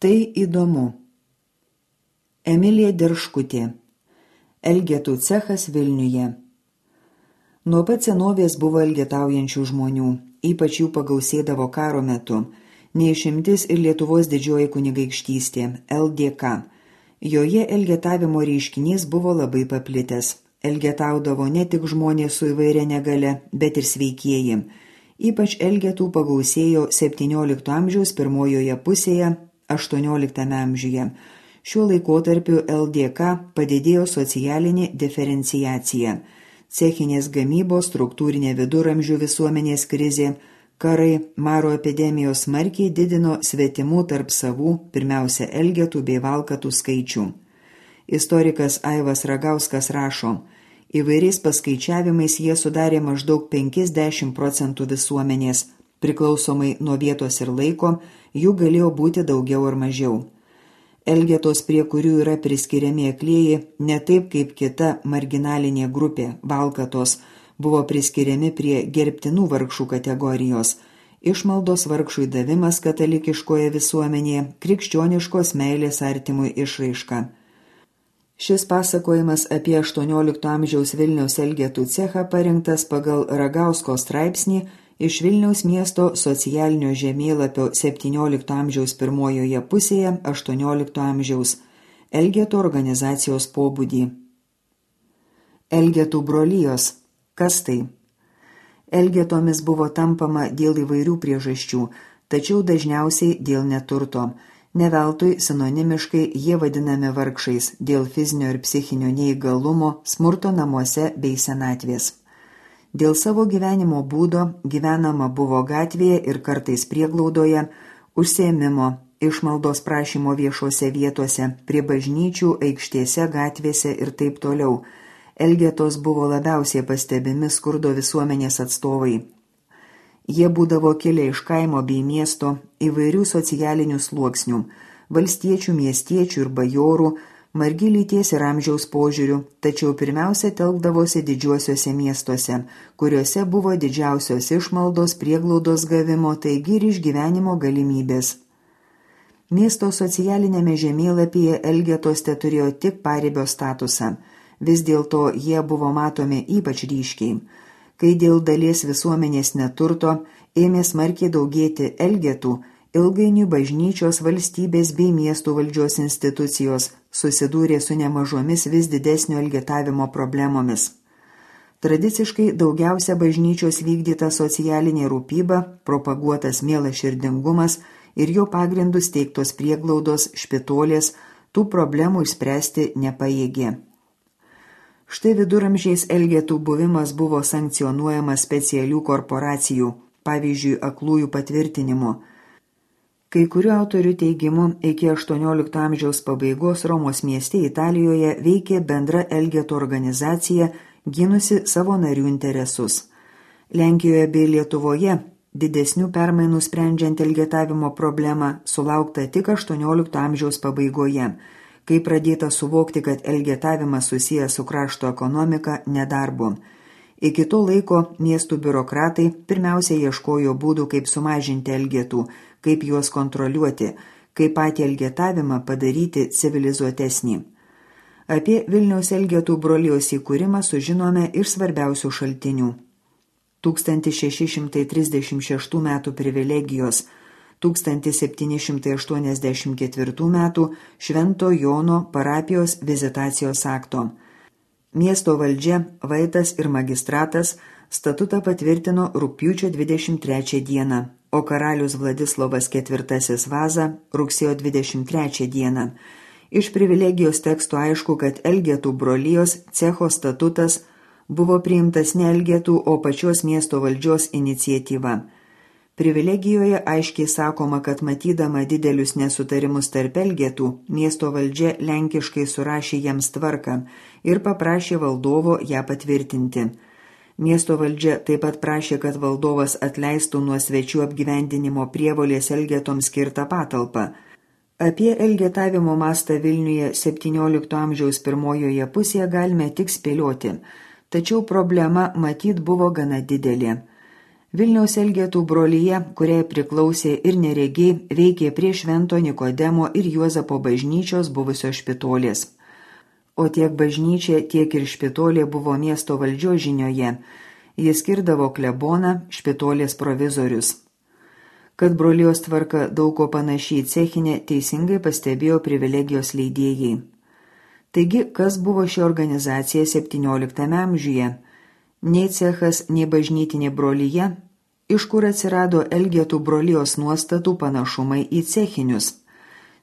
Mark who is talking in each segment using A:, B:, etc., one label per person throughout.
A: Tai įdomu. Emilija Dirškutė. Elgetų cechas Vilniuje. Nuo pat senovės buvo elgetaujančių žmonių, ypač jų pagausėdavo karo metu. Neišimtis ir Lietuvos didžioji kunigaikštystė, LDK. Joje elgetavimo reiškinys buvo labai paplitęs. Elgetaudavo ne tik žmonės su įvairia negale, bet ir sveikieji. Ypač elgetų pagausėjo 17 amžiaus pirmojoje pusėje, 18 amžiuje. Šiuo laikotarpiu LDK padidėjo socialinė diferenciacija. Cechinės gamybos, struktūrinė viduramžių visuomenės krizė, karai, maro epidemijos smarkiai didino svetimų tarp savų, pirmiausia elgetų bei valkatų skaičių. Istorikas Aivas Ragauskas rašo, įvairiais paskaičiavimais jie sudarė maždaug 50% visuomenės, priklausomai nuo vietos ir laiko, jų galėjo būti daugiau ar mažiau. Elgetos, prie kurių yra priskiriami aklieji, ne taip kaip kita marginalinė grupė, valkatos, buvo priskiriami prie gerbtinų vargšų kategorijos. Išmaldos vargšui davimas katalikiškoje visuomenėje, krikščioniškos meilės artimui išraiška. Šis pasakojimas apie 18 amžiaus Vilniaus elgetų cechą parinktas pagal Ragausko straipsnį iš Vilniaus miesto socialinio žemėlapio 17 amžiaus pirmojoje pusėje 18 amžiaus elgetų organizacijos pobūdį. Elgetų brolijos. Kas tai? Elgetomis buvo tampama dėl įvairių priežasčių, tačiau dažniausiai dėl neturto. Ne veltui sinonimiškai jie vadinami vargšais dėl fizinio ir psichinio neįgalumo, smurto namuose bei senatvės. Dėl savo gyvenimo būdo gyvenama buvo gatvėje ir kartais prieglaudoje, užsiėmimo, išmaldos prašymo viešose vietose, prie bažnyčių, aikštėse, gatvėse ir taip toliau. Elgetos buvo labiausiai pastebimi skurdo visuomenės atstovai. Jie būdavo kilę iš kaimo bei miesto, įvairių socialinių sluoksnių, valstiečių, miestiečių ir bajorų, margi lyties ir amžiaus požiūrių, tačiau pirmiausia telkdavosi didžiuosiuose miestuose, kuriuose buvo didžiausios išmaldos, prieglaudos gavimo, taigi ir išgyvenimo galimybės. Miesto socialinėme žemėlapyje elgetos teturėjo tik paribio statusą, vis dėlto jie buvo matomi ypač ryškiai. Kai dėl dalies visuomenės neturto ėmė smarkiai daugėti elgetų, ilgainiui bažnyčios, valstybės bei miestų valdžios institucijos susidūrė su nemažomis vis didesnio elgetavimo problemomis. Tradiciškai daugiausia bažnyčios vykdyta socialinė rūpyba, propaguotas mielaširdingumas ir jo pagrindus teiktos prieglaudos, špitolės, tų problemų išspręsti nepajėgė. Štai viduramžiais elgetų buvimas buvo sankcionuojamas specialių korporacijų, pavyzdžiui, aklųjų patvirtinimu. Kai kurių autorių teigimu, iki 18 amžiaus pabaigos Romos mieste Italijoje veikė bendra elgetų organizacija, gynusi savo narių interesus. Lenkijoje bei Lietuvoje didesnių permainų sprendžiant elgetavimo problemą sulaukta tik 18 amžiaus pabaigoje, kai pradėta suvokti, kad elgetavimas susijęs su krašto ekonomika nedarbu. Iki to laiko miestų biurokratai pirmiausia ieškojo būdų, kaip sumažinti elgetų, kaip juos kontroliuoti, kaip patį elgetavimą padaryti civilizuotesnį. Apie Vilniaus elgetų brolijos įkūrimą sužinome iš svarbiausių šaltinių. 1636 metų privilegijos, 1784 metų Švento Jono parapijos vizitacijos akto. Miesto valdžia, vaitas ir magistratas statutą patvirtino rugpjūčio 23 dieną, o karalius Vladislovas IV Vaza rugsėjo 23 dieną. Iš privilegijos teksto aišku, kad elgetų brolijos cecho statutas buvo priimtas ne elgetų, o pačios miesto valdžios iniciatyva. Privilegijoje aiškiai sakoma, kad matydama didelius nesutarimus tarp elgetų, miesto valdžia lenkiškai surašė jiems tvarką ir paprašė valdovo ją patvirtinti. Miesto valdžia taip pat prašė, kad valdovas atleistų nuo svečių apgyvendinimo prievolės elgetoms skirtą patalpą. Apie elgetavimo mastą Vilniuje 17 amžiaus pirmojoje pusėje galime tik spėlioti, tačiau problema matyt buvo gana didelė. Vilniaus Elgetų brolyje, kuriai priklausė ir neregiai, veikė prie Švento Nikodemo ir Juozapo bažnyčios buvusios špitolės. O tiek bažnyčia, tiek ir špitolė buvo miesto valdžios žinioje. Jis skirdavo kleboną, špitolės provizorius. Kad brolijos tvarka daug ko panašiai cechinė, teisingai pastebėjo privilegijos leidėjai. Taigi, kas buvo ši organizacija 17 amžiuje? Nei cechas, nei bažnytinė brolyje, iš kur atsirado Elgetų brolijos nuostatų panašumai į cechinius.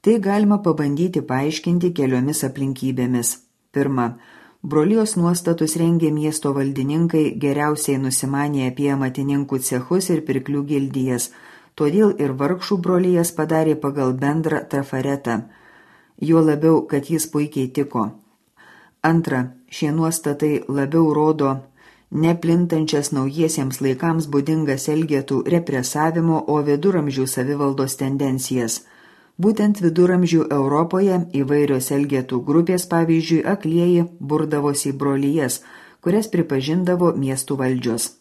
A: Tai galima pabandyti paaiškinti keliomis aplinkybėmis. Pirma, brolijos nuostatus rengė miesto valdininkai, geriausiai nusimanė apie amatininkų cechus ir pirklių gildijas, todėl ir vargšų brolijas padarė pagal bendrą trafaretą, juo labiau, kad jis puikiai tiko. Antra, šie nuostatai labiau rodo neplintančias naujiesiems laikams būdingas Elgetų represavimo, o viduramžių savivaldos tendencijas. Būtent viduramžių Europoje įvairios Elgetų grupės, pavyzdžiui, aklieji, burdavosi į brolijas, kurias pripažindavo miestų valdžios.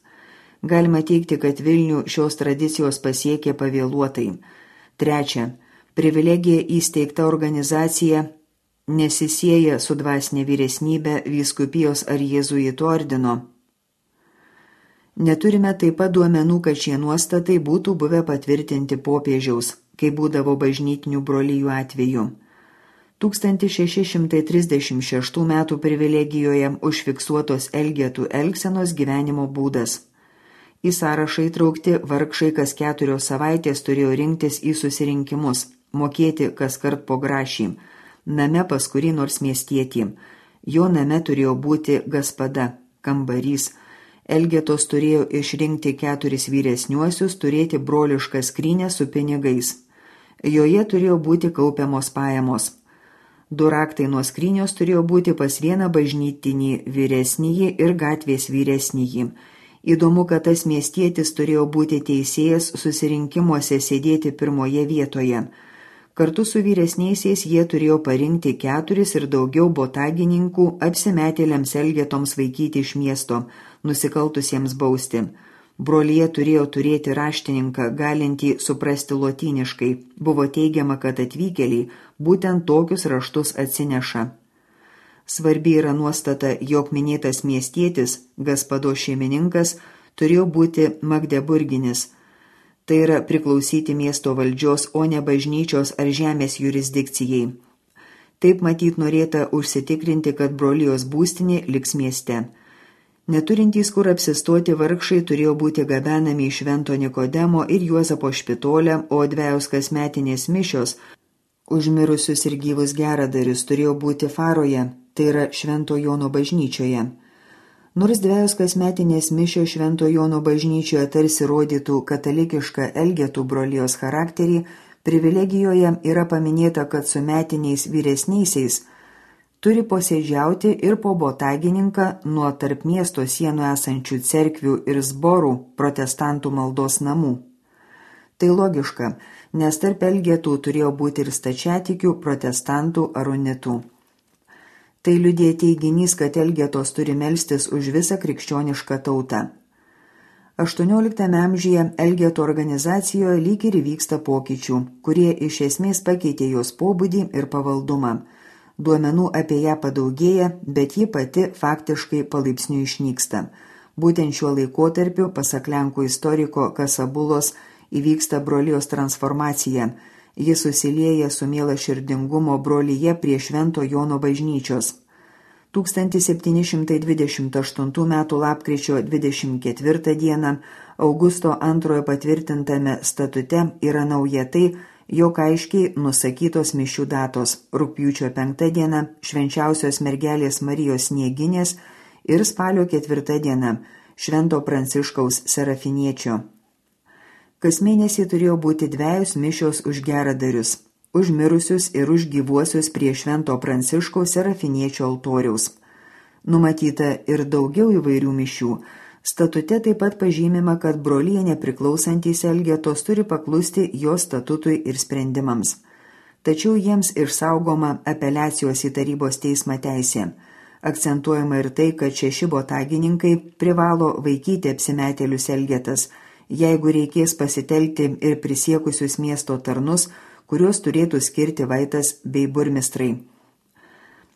A: Galima teigti, kad Vilnių šios tradicijos pasiekė pavėluotai. Trečia, privilegija įsteigta organizacija nesisieja su dvasinė vyresnybė, vyskupijos ar jėzuitų ordino. Neturime taip pat duomenų, kad šie nuostatai būtų buvę patvirtinti popiežiaus, kai būdavo bažnytinių brolijų atveju. 1636 metų privilegijoje užfiksuotos Elgetų elgsenos gyvenimo būdas. Į sąrašą įtraukti vargšai kas 4 savaitės turėjo rinktis į susirinkimus, mokėti kas kart po grašį, name pas kurį nors miestietį. Jo name turėjo būti gaspada, kambarys. Elgetos turėjo išrinkti 4 vyresniuosius, turėti brolišką skrynę su pinigais. Joje turėjo būti kaupiamos pajamos. 2 raktai nuo skrynios turėjo būti pas vieną bažnytinį vyresnįjį ir gatvės vyresnįjį. Įdomu, kad tas miestietis turėjo būti teisėjas susirinkimuose sėdėti pirmoje vietoje. Kartu su vyresniaisiais jie turėjo parinkti 4 ir daugiau botagininkų apsimetėliams Elgetoms vaikyti iš miesto, nusikaltusiems bausti. Brolyje turėjo turėti raštininką, galintį suprasti lotyniškai. Buvo teigiama, kad atvykėliai būtent tokius raštus atsineša. Svarbi yra nuostata, jog minėtas miestietis, gaspado šeimininkas, turėjo būti magdeburginis. Tai yra priklausyti miesto valdžios, o ne bažnyčios ar žemės jurisdikcijai. Taip matyt norėta užsitikrinti, kad brolijos būstinė liks mieste. Neturintys kur apsistoti vargšai turėjo būti gabenami į Švento Nikodemo ir Juozapo špitolę, o 2 kasmetinės mišios už mirusius ir gyvus geradarius turėjo būti Faroje, tai yra Švento Jono bažnyčioje. Nors 2 kasmetinės mišios Švento Jono bažnyčioje tarsi rodytų katalikišką Elgetų brolijos charakterį, privilegijoje yra paminėta, kad su metiniais vyresniaisiais turi posėdžiauti ir po botagininką nuo tarp miesto sienų esančių cerkvių ir zborų protestantų maldos namų. Tai logiška, nes tarp Elgetų turėjo būti ir stačiatikių, protestantų ar unitų. Tai liudija teiginys, kad Elgetos turi melstis už visą krikščionišką tautą. 18 amžiuje Elgetų organizacijoje lyg ir vyksta pokyčių, kurie iš esmės pakeitė jos pobūdį ir pavaldumą. Duomenų apie ją padaugėja, bet ji pati faktiškai palaipsniui išnyksta. Būtent šiuo laikotarpiu, pasak lenkų istoriko Kasabulos, įvyksta brolijos transformacija. Ji susilieja su mielaširdingumo brolyje prie Švento Jono bažnyčios. 1728 m. lapkričio 24 d. Augusto II patvirtintame statute yra nauja tai, jog aiškiai nusakytos mišių datos – rugpjūčio 5 d. Švenčiausios mergelės Marijos Snieginės ir spalio 4 d. Švento Pranciškaus Serafiniečio. Kas mėnesį turėjo būti 2 mišios už geradarius, už mirusius ir už gyvuosius prie Švento Pranciškaus Serafiniečio altoriaus. Numatyta ir daugiau įvairių mišių. Statute taip pat pažymima, kad brolyje nepriklausantys Elgetos turi paklusti jo statutui ir sprendimams. Tačiau jiems išsaugoma apeliacijos į tarybos teismą teisė. Akcentuojama ir tai, kad 6 botagininkai privalo vaikyti apsimetėlius Elgetas jeigu reikės pasitelkti ir prisiekusius miesto tarnus, kuriuos turėtų skirti vaitas bei burmistrai.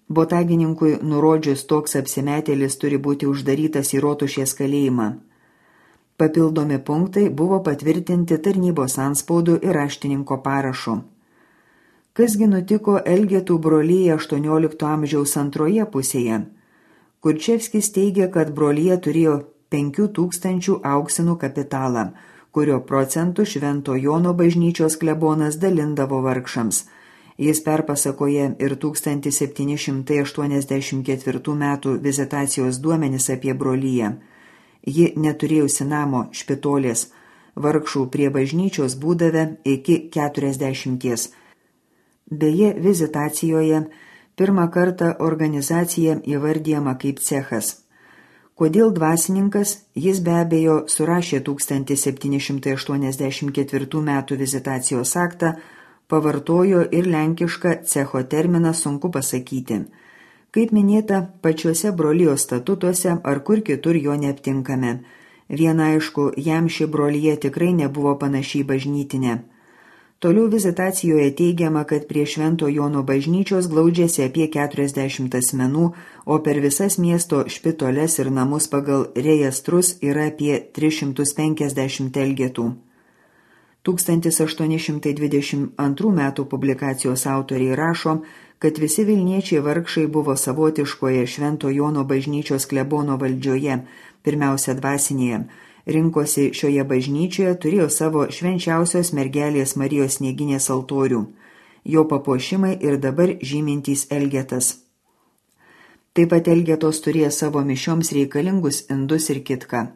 A: Botagininkui nurodžius toks apsimetėlis turi būti uždarytas į Rotušės kalėjimą. Papildomi punktai buvo patvirtinti tarnybos antspaudų ir raštininko parašu. Kasgi nutiko Elgetų brolyje 18 amžiaus antroje pusėje? Kurčevskis teigia, kad brolyje turėjo 5000 auksinų kapitalą, kurio procentų Švento Jono bažnyčios klebonas dalindavo vargšams. Jis perpasakoja ir 1784 metų vizitacijos duomenis apie brolyje. Ji neturėjusi namo Špitolės, vargšų prie bažnyčios būdavę iki 40. Beje, vizitacijoje pirmą kartą organizacija įvardyjama kaip cechas. Kodėl dvasininkas, jis be abejo surašė 1784 metų vizitacijos aktą, pavartojo ir lenkišką cecho terminą sunku pasakyti. Kaip minėta, pačiuose brolijos statutuose ar kur kitur jo neaptinkame. Viena aišku, jam ši brolyje tikrai nebuvo panašiai bažnytinė. Toliau vizitacijoje teigiama, kad prie Švento Jono bažnyčios glaudžiasi apie 40 asmenų, o per visas miesto špitoles ir namus pagal rejestrus yra apie 350 elgetų. 1822 metų publikacijos autoriai rašo, kad visi Vilniečiai vargšai buvo savotiškoje Švento Jono bažnyčios klebono valdžioje, pirmiausia dvasinėje. Rinkosi šioje bažnyčioje, turėjo savo švenčiausios mergelės Marijos Snieginės altorių. Jo papuošimai ir dabar žymintys Elgetas. Taip pat Elgetos turėjo savo mišioms reikalingus indus ir kitką.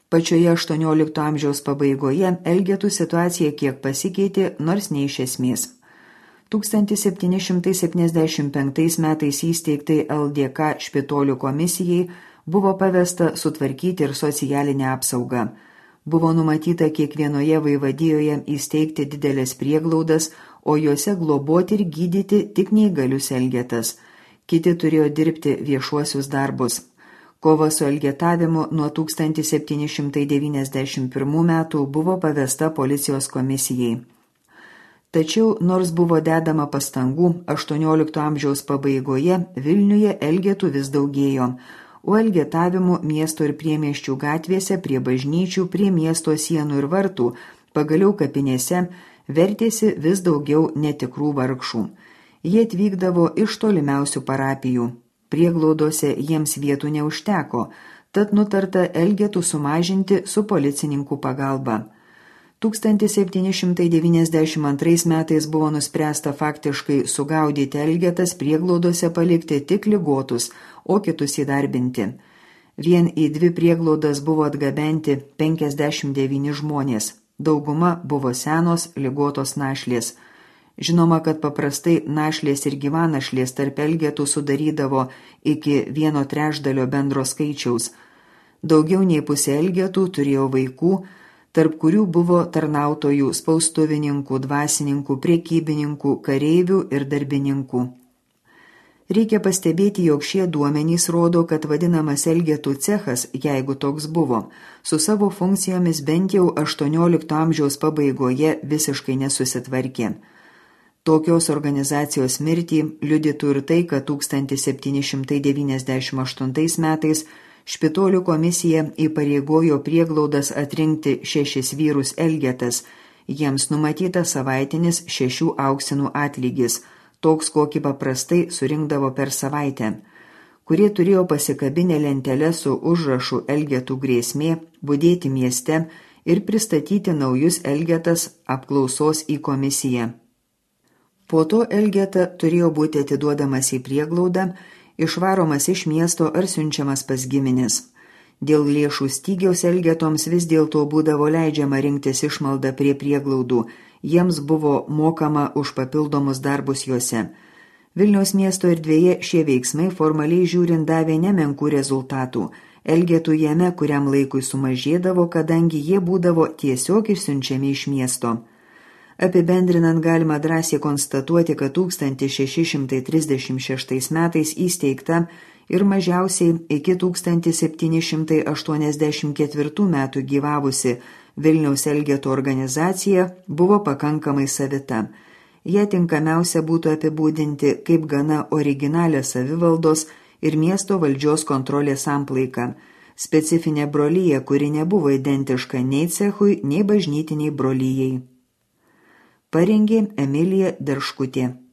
A: Pačioje 18 amžiaus pabaigoje Elgetų situacija kiek pasikeitė, nors ne iš esmės. 1775 metais įsteigtai LDK Špitolių komisijai buvo pavesta sutvarkyti ir socialinę apsaugą. Buvo numatyta kiekvienoje vaivadijoje įsteigti didelės prieglaudas, o juose globoti ir gydyti tik neįgalius elgetas. Kiti turėjo dirbti viešuosius darbus. Kova su elgetavimu nuo 1791 metų buvo pavesta policijos komisijai. Tačiau, nors buvo dedama pastangų, 18 amžiaus pabaigoje Vilniuje elgetų vis daugėjo, o elgetavimų miesto ir priemiesčių gatvėse, prie bažnyčių, prie miesto sienų ir vartų, pagaliau kapinėse, vertėsi vis daugiau netikrų vargšų. Jie atvykdavo iš tolimiausių parapijų. Prieglaudose jiems vietų neužteko, tad nutarta elgetų sumažinti su policininkų pagalba. 1792 metais buvo nuspręsta faktiškai sugaudyti elgetas, prieglaudose palikti tik ligotus, o kitus įdarbinti. Vien į 2 prieglaudas buvo atgabenti 59 žmonės. Dauguma buvo senos, ligotos našlės. Žinoma, kad paprastai našlės ir gyvanašlės tarp elgetų sudarydavo iki 1/3 bendro skaičiaus. Daugiau nei pusė elgetų turėjo vaikų, tarp kurių buvo tarnautojų, spaustuvininkų, dvasininkų, prekybininkų, kareivių ir darbininkų. Reikia pastebėti, jog šie duomenys rodo, kad vadinamas elgetų cechas, jeigu toks buvo, su savo funkcijomis bent jau 18 amžiaus pabaigoje visiškai nesusitvarkė. Tokios organizacijos mirtį liudytų ir tai, kad 1798 metais Špitolių komisija įpareigojo prieglaudas atrinkti 6 vyrus elgetas, jiems numatyta savaitinis 6 auksinų atlygis, toks kokį paprastai surinkdavo per savaitę, kurie turėjo pasikabinę lentelę su užrašu elgetų grėsmė, budėti mieste ir pristatyti naujus elgetas apklausos į komisiją. Po to elgeta turėjo būti atiduodamas į prieglaudą, išvaromas iš miesto ar siunčiamas pas giminės. Dėl lėšų stygiaus elgetoms vis dėlto būdavo leidžiama rinktis išmaldą prie prieglaudų, jiems buvo mokama už papildomus darbus juose. Vilniaus miesto erdvėje šie veiksmai formaliai žiūrint davė nemenkų rezultatų. Elgetų jame kuriam laikui sumažėdavo, kadangi jie būdavo tiesiog išsiunčiami iš miesto. Apibendrinant galima drąsiai konstatuoti, kad 1636 metais įsteigta ir mažiausiai iki 1784 metų gyvavusi Vilniaus Elgetų organizacija buvo pakankamai savita. Ją tinkamiausia būtų apibūdinti kaip gana originalią savivaldos ir miesto valdžios kontrolės samplaiką, specifinė brolyja, kuri nebuvo identiška nei cechui, nei bažnytiniai brolyjai. Parengė Emilija Derškutė.